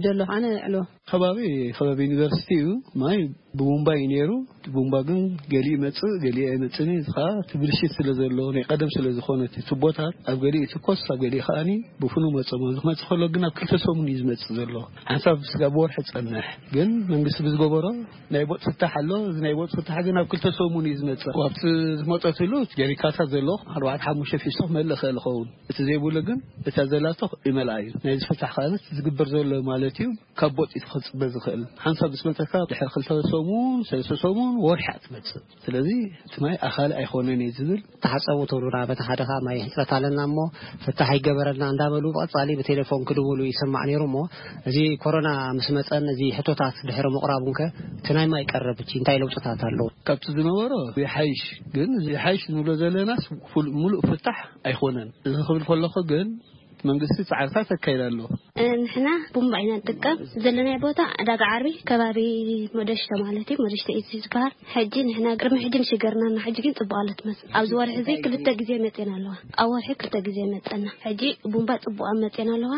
ደሎ ኸዓ ነዕልዎ። ከባቢ፣ ከባቢ ዩኒቨርሲቲ እዩ። ማይ ብቡምባ እዩ ነይሩ። እቲ ቡምባ ግን ገሊኡ ይመጽእ፣ ገሊኡ ኣይመጽእን እዩ። እዚ ኸዓ እቲ ብልሽት ስለ ዘሎ፣ ናይ ቀደም ስለ ዝኾነ፣ እቲ ቱቦታት ኣብ ገሊኡ ትኮስ፣ ኣብ ገሊኡ ከኣኒ ብፍኑ መጽእ። እዚ ክመጽእ ከሎ ግን ኣብ ክልተ ሰሙን እዩ ዝመጽእ ዘሎ። ሓንሳብ ስጋብ ወርሒ ጸንሕ። ግን መንግስቲ ብዝገበሮ ናይ ቦጥ ፍታሕ ኣሎ። እዚ ናይ ቦጥ ፍታሕ ግን ኣብ ክልተ ሰሙን እዩ ዝመጽእ። ኣብቲ ዝመጸትሉ ጀሪካታት ዘሎ ኣርባዕተ ሓሙሽተ ፊስቶ ክመልእ ይኽእል ይኸውን። እቲ ዘይብሉ ግን እታ ዘላቶ ይመልኣ እዩ። ናይ ዝፍታሕ ከኣነት ዝግበር ዘሎ ማለት እዩ። ካብ ቦጥ እዩ ክጽበ ዝኽእል። ሓንሳብ ምስ መጸካ ድሕሪ ክልተ ሰሙን፣ ሰለስተ ሰሙን፣ ወርሒ እያ ትመጽእ። ስለዚ እቲ ማይ ኣኻሊ ኣይኮነን እዩ ዝብል። ተሓጸቡ ትብሉና፣ በቲ ሓደ ኸኣ ማይ ሕጽረት ኣለና እሞ ፍታሕ ይገበረልና እንዳበሉ ብቐጻሊ ብቴሌፎን ክድውሉ ይስማዕ ነይሩ። እሞ እዚ ኮሮና ምስ መጸን እዚ ሕቶታት ድሕሪ ምቕራቡን ከ እቲ ናይ ማይ ቀረብ እቲ እንታይ ለውጥታት ኣለዎ? ካብቲ ዝነበሮ ይሓይሽ፣ ግን እዚ ይሓይሽ ንብሎ ዘለናስ ፍል-፣ ምሉእ ፍታሕ ኣይኮነን። እዚ ክብል ከለኹ ግን መንግስቲ ጻዕርታት ኣካይድ ኣሎ። እ፣ ንሕና ቡምባ ኢና ንጥቀም። ዘለናይ ቦታ ዕዳጋ ዓርቢ ከባቢ ሞደሽተ ማለት እዩ። ሞደሽተ እዩ ዝበሃል። ሕጂ ንሕና ቅድሚ ሕጂ ንሽገርና እና ሕጂ ግን ጽቡቕ ኣሎ ትመስል። ኣብዚ ወርሒ እዚ ክልተ ግዜ መጺና ኣለዋ። ኣብ ወርሒ ክልተ ግዜ መጸና። ሕጂ ቡምባ ጽቡቕ ኣብ መጺና ኣለዋ።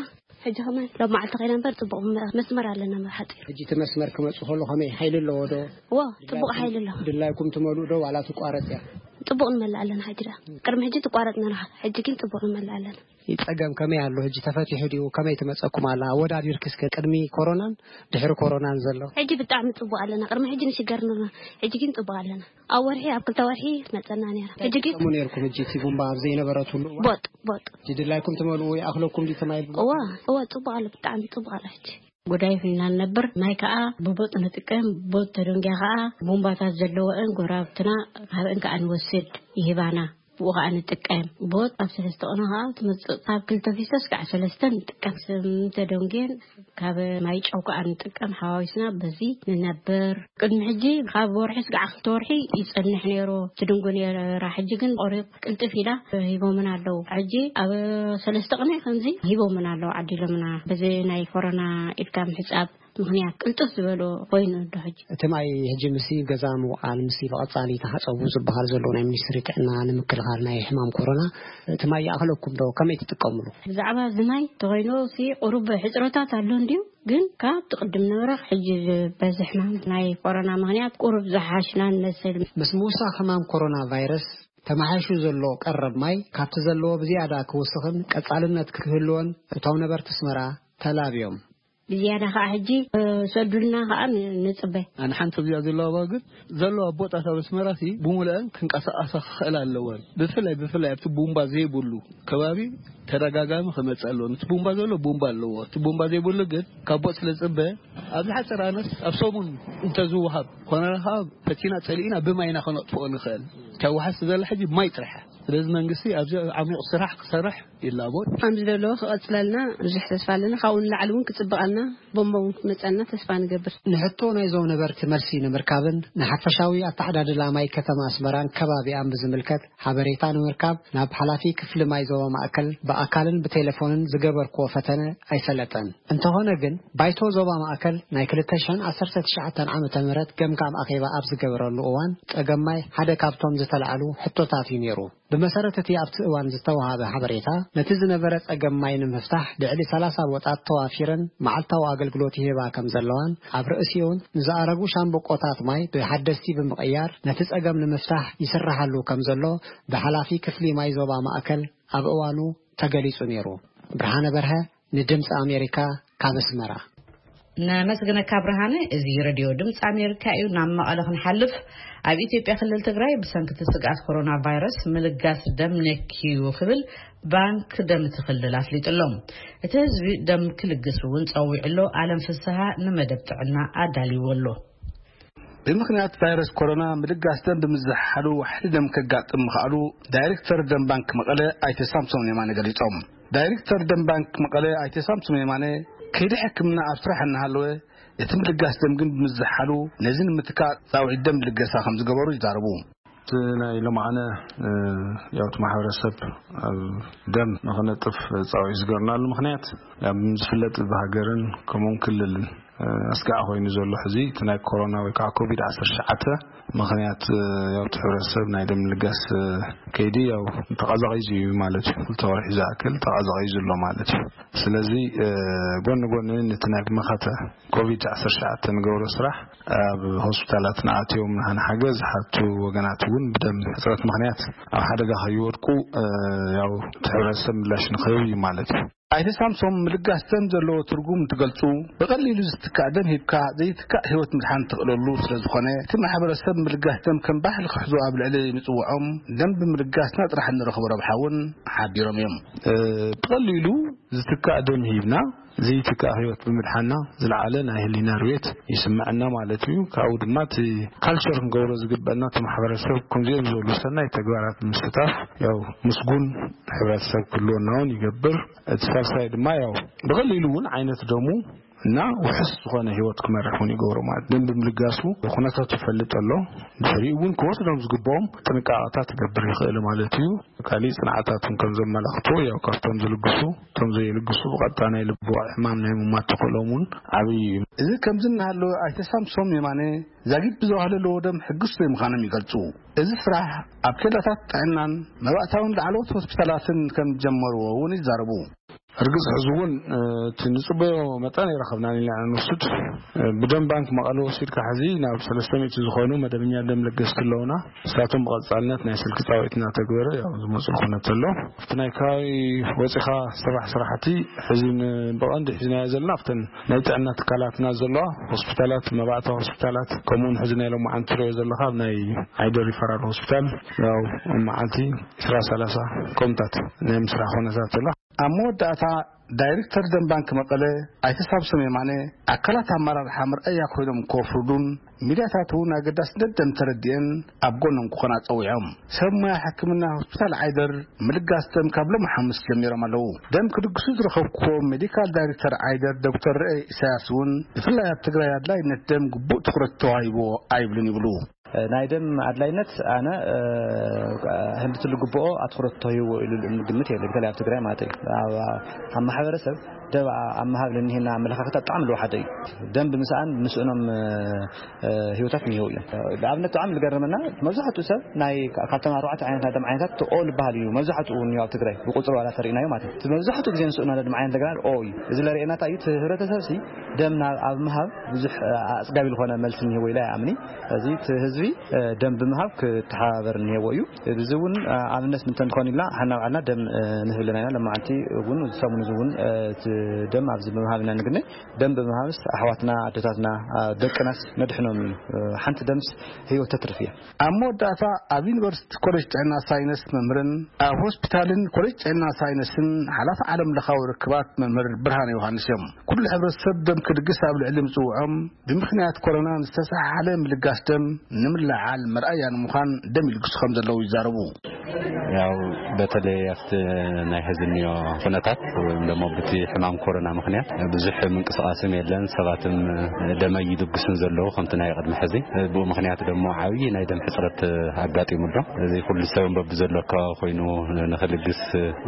ሕጂ ከማን ሎብ መዓልቲ ከይና እምበር ጽቡቕ መ-፣ መስመር ኣለና መብሓጢ። ሕጂ እቲ መስመር ክመጽእ ከሎ ከመይ ሓይሊ ኣለዎ ዶ? ዎ፣ ጽቡቕ ሓይሊ ኣለዎ። ድላይኩም ትመልኡ ዶ ዋላ ትቋረጽ እያ? ጽቡቕ ንመልእ ኣለና ሕጂ ደኣ። ቅድሚ ሕጂ ትቋረጽ ነርኻ። ሕጂ ግን ጽቡቕ ንመልእ ኣለና። ጸገም ከመይ ኣሎ? ሕጂ ተፈቲሑ ድዩ? ከመይ ትመጸኩም ኣላ? ኣወዳዲርኪ እስከ ቅድሚ ኮሮናን ድሕሪ ኮሮናን ዘሎ። ሕጂ ብጣዕሚ ጽቡቕ ኣለና። ቅድሚ ሕጂ ንሽገር ነርና። ሕጂ ግን ጽቡቕ ኣለና። ኣብ ወርሒ፣ ኣብ ክልተ ወርሒ ትመጸና ነይራ። ሕጂ ግን ትጥቀሙ ነይርኩም? ሕጂ እቲ ቡምባ ኣብ ዘይነበረትሉ እዋን? ቦጥ፣ ቦጥ። ሕጂ ድላይኩም ትመልኡ ይኣኽለኩም ድዩ እቲ ማይ? እዋ፣ እዋ፣ ጽቡቕ ኣሎ፣ ብጣዕሚ ጽቡቕ ኣሎ ሕጂ። ጉዳይ ፊና ንነብር፣ ማይ ከኣ ብቦጥ ንጥቀም፣ ቦጥ ተደንጊያ ከኣ ቡምባታት ዘለወን ጎረባብትና ካብአን ከኣ ንወስድ ይህባና። ብኡ ከኣ ንጥቀም። ቦጥ ኣብ ሰለስተ ቅነ ከኣ ትመጽእ። ካብ ክልተ ፊስቶ እስካዕ ሰለስተ ንጥቀም። ስም ተደንጉየን ካብ ማይ ጨው ከኣ ንጥቀም። ሓዋዊስና በዚ ንነብር። ቅድሚ ሕጂ ካብ ወርሒ እስካዕ ክልተ ወርሒ ይጸንሕ ነይሩ። ትድንጉ ነይራ። ሕጂ ግን ቆሪጥ ቅልጥፍ ኢላ ሂቦምን ኣለዉ። ሕጂ ኣብ ሰለስተ ቅነ ከምዚ ሂቦምን ኣለዉ፣ ዓዲሎምና። በዚ ናይ ኮሮና ኢድካ ምሕጻብ ምኽንያት ቅልጥፍ ዝበሎ ኮይኑ ኣሎ ሕጂ። እቲ ማይ ሕጂ ምስ ገዛ ምውዓል፣ ምስ ብቐጻሊ ተሓጸቡ ዝበሃል ዘሎ ናይ ሚኒስትሪ ጥዕና ንምክልኻል ናይ ሕማም ኮሮና፣ እቲ ማይ ይኣኽለኩም ዶ? ከመይ ትጥቀምሉ? ብዛዕባ እዚ ማይ ተኾይኑ ሲ ቁሩብ ሕጽረታት ኣሎ እንድዩ፣ ግን ካብ ትቕድም ነበረ ሕጂ ዝበዝሕ ሕማም ናይ ኮሮና ምኽንያት ቁሩብ ዝሓሽና ንመስል። ምስ ምውሳኽ ሕማም ኮሮና ቫይረስ ተመሓይሹ ዘሎ ቀረብ ማይ ካብቲ ዘለዎ ብዝያዳ ክውስኽን ቀጻልነት ክህልዎን እቶም ነበርቲ ኣስመራ ተላብዮም። ብዝያዳ ከኣ ሕጂ፣ እ፣ ሰዱልና ከኣ ን-፣ ንጽበ። ኣነ ሓንቲ እዚኣ ዘለዋ ግን ዘለዋ ቦጣት ኣብ ኣስመራሲ ብምልአን ክንቀሳቐሳ ክኽእል ኣለወን። ብፍላይ፣ ብፍላይ ኣብቲ ቡምባ ዘይብሉ ከባቢ ተደጋጋሚ ክመጽእ ኣለዎ። እቲ ቡምባ ዘሎ ቡምባ ኣለዎ። እቲ ቡምባ ዘይብሉ ግን ካብ ቦጥ ስለ ዝጽበ ኣብ ዝሓጸረ ኣነስ ኣብ ሰሙን እንተዝወሃብ ኮነ ከኣ ፈቲና ጸሊእና ብማይና ከነጥፍኦ ንኽእል። እቲ ኣዋሓስ ዘላ ሕጂ ማይ ጥራሕ። ስለዚ መንግስቲ ኣብዚ ዓሚቕ ስራሕ ክሰርሕ ይላቦ። ከም ዝደለዎ ክቐጽለልና ብዙሕ ተስፋ ኣለና። ካብኡ ንላዕሊ እውን ክጽብቐልና፣ ቦምባ እውን ክመጸልና ተስፋ ንገብር። ንሕቶ ናይዞም ነበርቲ መልሲ ንምርካብን ንሓፈሻዊ ኣተዓዳድላ ማይ ከተማ ኣስመራን ከባቢኣን ብዝምልከት ሓበሬታ ንምርካብ ናብ ሓላፊ ክፍሊ ማይ ዞባ ማእከል ብኣካልን ብቴሌፎንን ዝገበርክዎ ፈተነ ኣይሰለጠን። እንተኾነ ግን ባይቶ ዞባ ማእከል ናይ ክልተ ሽሕን ዓሰርተ ትሽዓተን ዓመተ ምህረት ገምጋም ኣኼባ ኣብ ዝገበረሉ እዋን ጸገም ማይ ሓደ ካብቶም ዝተላዕሉ ሕቶታት እዩ ነይሩ። ብመሰረት እቲ ኣብቲ እዋን ዝተወሃበ ሓበሬታ፣ ነቲ ዝነበረ ጸገም ማይ ንምፍታሕ ልዕሊ ሰላሳ ቦጣት ተዋፊረን መዓልታዊ ኣገልግሎት ይህባ ከም ዘለዋን፣ ኣብ ርእሲኡን ንዝኣረጉ ሻምብቆታት ማይ ብሓደስቲ ብምቕያር ነቲ ጸገም ንምፍታሕ ይስራሓሉ ከም ዘሎ ብሓላፊ ክፍሊ ማይ ዞባ ማእከል ኣብ እዋኑ ተገሊጹ ነይሩ። ብርሃነ በርሀ፣ ንድምጺ ኣሜሪካ፣ ካብ ኣስመራ። ነመስግነካ ብርሃነ። እዚ ሬድዮ ድምፂ ኣሜሪካ እዩ። ናብ መቐለ ክንሓልፍ፣ ኣብ ኢትዮጵያ ክልል ትግራይ ብሰንኪ እቲ ስግኣት ኮሮና ቫይረስ ምልጋስ ደም ነክዩ ክብል ባንክ ደም እቲ ክልል ኣፍሊጡ ኣሎ። እቲ ህዝቢ ደም ክልግስ እውን ፀዊዑ ኣሎ። ኣለም ፍስሃ ንመደብ ጥዕና ኣዳልይዎ ኣሎ። ብምኽንያት ቫይረስ ኮሮና ምልጋስ ደም ብምዝሓሉ ዋሕዲ ደም ከጋጥም ምኽኣሉ ዳይሬክተር ደም ባንክ መቐለ ኣይተ ሳምሶም የማነ ገሊጾም። ዳይሬክተር ደም ባንክ መቐለ ኣይተ ሳምሶም የማነ ከይዲ ሕክምና ኣብ ስራሕ እናሃለወ እቲ ምልጋስ ደም ግን ብምዝሓሉ ነዚ ንምትካእ ፃውዒት ደም ልገሳ ከም ዝገበሩ ይዛረቡ። እቲ ናይ ሎማዓነ ያው እቲ ማሕበረሰብ ኣብ ደም ንክነጥፍ ፃውዒት ዝገርናሉ ምክንያት ያው ዝፍለጥ ብሃገርን ከምኡን ክልልን ኣስጋዕ ኮይኑ ዘሎ ሕዚ እቲ ናይ ኮሮና ወይ ከዓ ኮቪድ ዓሰርተ ትሽዓተ ምክንያት ያው እቲ ሕብረተሰብ ናይ ደም ልጋስ ከይዲ ያው ተቐዛቒዙ እዩ ማለት እዩ። ክልተ ወርሒ ዝኣክል ተቐዛቒዙ ኣሎ ማለት እዩ። ስለዚ ጎኒ ጎኒ ነቲ ናይ መኸተ ኮቪድ ዓሰርተ ትሽዓተ ንገብሮ ስራሕ ኣብ ሆስፒታላት ንኣትዮም ንሓገዝ ዝሓቱ ወገናት እውን ብደም ሕፅረት ምክንያት ኣብ ሓደጋ ከይወድቁ ያው እቲ ሕብረተሰብ ምላሽ ንክህብ እዩ ማለት እዩ። ኣይተ ሳምሶም ምልጋስ ደም ዘለዎ ትርጉም እንትገልፁ፣ ብቐሊሉ ዝትካእ ደም ሂብካ ዘይትካእ ህይወት ምድሓን ትኽእለሉ ስለዝኾነ እቲ ማሕበረሰብ ምልጋስ ደም ከም ባህሊ ክሕዞ ኣብ ልዕሊ ምፅውዖም ደም ብምልጋስና ጥራሕ እንረኽቦ ረብሓ እውን ሓቢሮም እዮም። ብቐሊሉ ዝትካእ ደም ሂብና ዘይትካእ ህይወት ብምድሓና ዝለዓለ ናይ ህሊና ርዌት ይስምዐና ማለት እዩ። ካብኡ ድማ እቲ ካልቸር ክንገብሮ ዝግበአና እቲ ማሕበረሰብ ከምዚኦም ዝበሉ ሰናይ ተግባራት ብምስታፍ ያው ምስጉን ሕብረተሰብ ክህልወና እውን ይገብር። እቲ ሳልሳይ ድማ ያው ብቐሊሉ እውን ዓይነት ደሙ እና ውሕስ ዝኾነ ህይወት ክመርሕ እውን ይገብሮ ማለት ደም ብምልጋሱ ኩነታቱ ይፈልጥ ኣሎ። ድሕሪኡ እውን ክወስዶም ዝግብኦም ጥንቃቐታት ክገብር ይኽእል ማለት እዩ። ካሊእ ፅንዓታት እውን ከም ዘመላኽቶ ያው ካብቶም ዝልግሱ እቶም ዘይልግሱ ብቐጥታ ናይ ልቢ ሕማም ናይ ምማት ተኽእሎም እውን ዓብዪ እዩ። እዚ ከምዚ እናሃለወ ኣይተ ሳምሶም የማነ ዛጊድ ብዝባህለለዎ ደም ሕግስቶ ምዃኖም ይገልፁ። እዚ ስራሕ ኣብ ኬላታት ጥዕናን መባእታውን ላዕለዎት ሆስፒታላትን ከም ጀመርዎ እውን ይዛረቡ። እርግፅ ሕዚ እውን እቲ ንፅበዮ መጠን ይረኸብና ኢና ንውስድ። ብደም ባንክ መቐለ ወሲድካ ሕዚ ናብ ሰለስተ ሚእቲ ዝኾኑ መደበኛ ደም ለገስቲ ኣለውና። ንሳቶም ብቐፃልነት ናይ ስልኪ ፃውዒት እናተግበረ ያው ዝመፁ ኩነት ኣሎ። እቲ ናይ ከባቢ ወፂኻ ስራሕ ስራሕቲ ሕዚ ን- ብቐንዲ ሒዝናዮ ዘለና ኣብተን ናይ ጥዕና ትካላትና ዘለዋ ሆስፒታላት፣ መባእታ ሆስፒታላት፣ ከምኡውን ሕዚ ናይ ሎማዓንቲ ትሪኦ ዘለኻ ኣብ ናይ ዓይደ ሪፈራል ሆስፒታል ያው መዓልቲ ዕስራ ሰላሳ ከምታት ናይ ምስራሕ ኩነታት ኣሎ። ኣብ መወዳእታ ዳይሬክተር ደም ባንክ መቐለ ኣይተ ሳምሶም የማነ ኣካላት ኣመራርሓ መርኣያ ኮይኖም ከፍርዱን ሚድያታት እውን ኣገዳስነት ደም ተረዲአን ኣብ ጎኖም ክኾና ፀዊዖም። ሰብ ሞያ ሕክምና ሆስፒታል ዓይደር ምልጋስ ደም ካብ ሎሚ ሓሙስ ጀሚሮም ኣለዉ። ደም ክልግሱ ዝረኸብኩዎ ሜዲካል ዳይሬክተር ዓይደር ዶክተር ርኤ ኢሳያስ እውን ብፍላይ ኣብ ትግራይ ኣድላይነት ደም ግቡእ ትኹረት ተዋሂብዎ ኣይብልን ይብሉ። ናይ ደም ኣድላይነት ኣነ ህንድቲ ልግብኦ ኣትኩረት ተዋሂብዎ ኢሉ ልእም ግምት የለ። በተለይ ኣብ ትግራይ ማለት እዩ። ኣብ ማሕበረሰብ ደም ኣብ ምሃብ ለኒሄና ኣመለኻኽታ ብጣዕሚ ልወሓደ እዩ። ደም ብምስኣን ምስእኖም ህይወታት እኒሄው እዮም። ንኣብነት ብጣዕሚ ዝገረመና መብዛሕትኡ ሰብ ናይ ካብቶም ኣርባዕተ ዓይነት ናይ ደም ዓይነታት ኦ ዝበሃል እዩ። መብዛሕትኡ እውን ኣብ ትግራይ ብቁፅሪ ዋላ ተሪእናዮ ማለት እዩ። እቲ መብዛሕትኡ ግዜ ንስእኖ ደም ዓይነት እንደገና ኦ እዩ። እዚ ለርእየና እንታይ እዩ? እቲ ህብረተሰብ ሲ ደም ናብ ኣብ ምሃብ ብዙሕ ኣፅጋቢ ዝኾነ መልሲ እኒሄዎ ኢላ ይኣምኒ። እዚ እቲ ህዝቢ ደም ብምሃብ ክተሓባበር እኒሄዎ እዩ። እዚ እውን ኣብነት ምንተ እንተኾን ኢልና ሓና ባዕልና ደም ንህብ ኣለና ኢና። ለማዓንቲ እውን ሰሙን እዚ እውን እቲ ደም ኣብዚ ብምሃብ ኢና ንግነ። ደም ብምሃብስ ኣሕዋትና ኣደታትና ደቅናስ ነድሕኖም እዩ። ሓንቲ ደምስ ህይወት ተትርፍ እያ። ኣብ መወዳእታ ኣብ ዩኒቨርሲቲ ኮሌጅ ጥዕና ሳይነስ መምህርን ኣብ ሆስፒታልን ኮሌጅ ጥዕና ሳይነስን ሓላፊ ዓለም ለኻዊ ርክባት መምህር ብርሃን ዮሃንስ እዮም። ኩሉ ሕብረተሰብ ደም ክልግስ ኣብ ልዕሊ ምፅውዖም ብምክንያት ኮሮና ዝተሰሓሓለ ምልጋስ ደም ንምልዓል መርኣያ ንምዃን ደም ይልግሱ ከም ዘለዉ ይዛረቡ። ያው በተለይ ኣብቲ ናይ ሕዚ እኒኦ ኩነታት ወይም ደግሞ ብቲ ሕማም ኮሮና ምክንያት ብዙሕ ምንቅስቃስም የለን። ሰባትም ደመ ይልግሱን ዘለዉ ከምቲ ናይ ቅድሚ ሕዚ። ብኡ ምክንያት ደሞ ዓብዪ ናይ ደም ሕፅረት ኣጋጢሙ ኣሎ። እዚ ኩሉ ሰብ በብዘሎ ኣካባቢ ኮይኑ ንክልግስ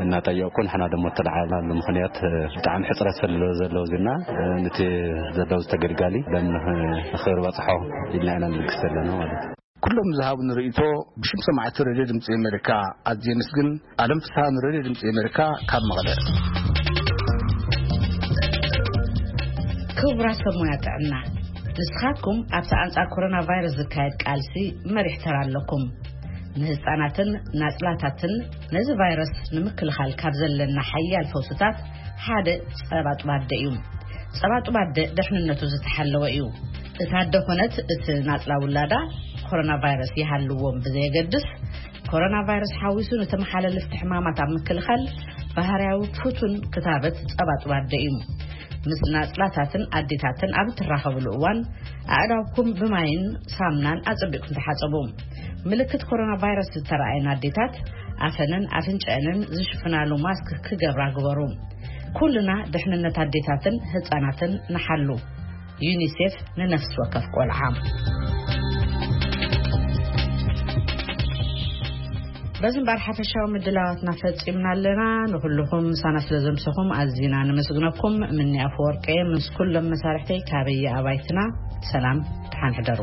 እናጠየቁ ንሕና ደሞ እተለዓልናሉ ምክንያት ብጣዕሚ ሕፅረት ስለ ዘለዉ ዝና ንቲ ዘለዉ ዝተገልጋሊ ደም ንክርበፅሖ ኢልና ኢና ንልግስ ዘለና ማለት እዩ። ኩሎም ዝሃቡኒ ርእይቶ ብሽም ሰማዕቲ ሬድዮ ድምፂ ኣሜሪካ ኣዝየ ምስግን። ኣለም ፍስሃ ንሬድዮ ድምፂ ኣሜሪካ ካብ መቐለ። ክቡራት ሰብ ሞያ ጥዕና፣ ንስኻትኩም ኣብቲ ኣንጻር ኮሮና ቫይረስ ዝካየድ ቃልሲ መሪሕ ተራ ኣለኩም። ንህፃናትን ናፅላታትን ነዚ ቫይረስ ንምክልኻል ካብ ዘለና ሓያል ፈውስታት ሓደ ጸባ ጡብ ኣደ እዩ። ጸባ ጡብ ኣደ ድሕንነቱ ዝተሓለወ እዩ። እታ ኣደ ኮነት እቲ ናጽላ ውላዳ ኮሮና ቫይረስ ይሃልዎም ብዘየገድስ፣ ኮሮና ቫይረስ ሓዊሱ ንተመሓላለፍቲ ሕማማት ኣብ ምክልኻል ባህርያዊ ፍቱን ክታበት ጸባ ጡብ ኣደ እዩ። ምስ ናጽላታትን ኣዴታትን ኣብ እትራኸብሉ እዋን ኣእዳውኩም ብማይን ሳምናን ኣጸቢቕኩም ተሓጸቡ። ምልክት ኮሮና ቫይረስ ዝተረኣየን ኣዴታት ኣፈንን ኣፍንጨአንን ዝሽፍናሉ ማስክ ክገብራ ግበሩ። ኩልና ድሕንነት ኣዴታትን ህጻናትን ንሓሉ። ዩኒሴፍ ንነፍሲ ወከፍ ቆልዓ። በዚ እምበር ሓፈሻዊ ምድላዋትና ፈጺምና ኣለና። ንኹልኹም ምሳና ስለ ዘምሰኹም ኣዚና ነመስግነኩም። ምኒ ኣፈወርቀ ምስ ኩሎም መሳርሕተይ ካበየ ኣባይትና ሰላም፣ ደሓን ሕደሩ።